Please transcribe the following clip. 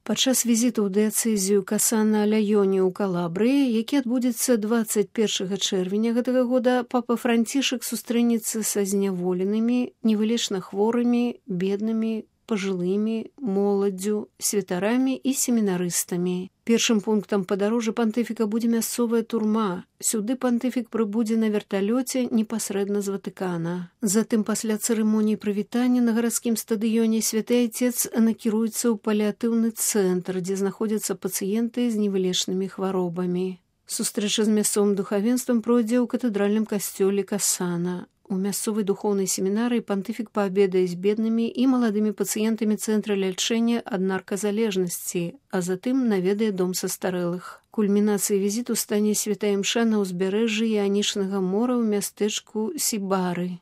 Падчас візіту ў дыяцэзію Касана-Ляёні ў Калабрыі, які адбудзецца 21 чэрвеня гэтага года, папа Францішак сустрэнецца са зняволенымі, невылечна хворымі, беднымі, пажылымі, моладдзю, святарамі і семінарыстамі. Першым пунктам падарожжа пантыфіка будзе мясцовая турма. Сюды пантыфік прыбудзе на верталёце непасрэдна з Ватыкана. Затым пасля цырымоніі прывітання на гарадскім стадыёне святы айцец накіруецца ў паліатыўны цэнтр, дзе знаходзяцца пацыенты з невылечнымі хваробамі. Сустрэча з мясцовым духавенствам пройдзе ў катэдральным касцёле Касана. У мясцовай духоўнай семінарыі пантыфік паабедае з беднымі і маладымі пацыентамі цэнтра лячэння ад нарказалежнасці, а затым наведае дом састарэлых. Кульмінацыяй візіту стане святая імша на ўзбярэжжы Іанічнага мора ў мястэчку Сібары.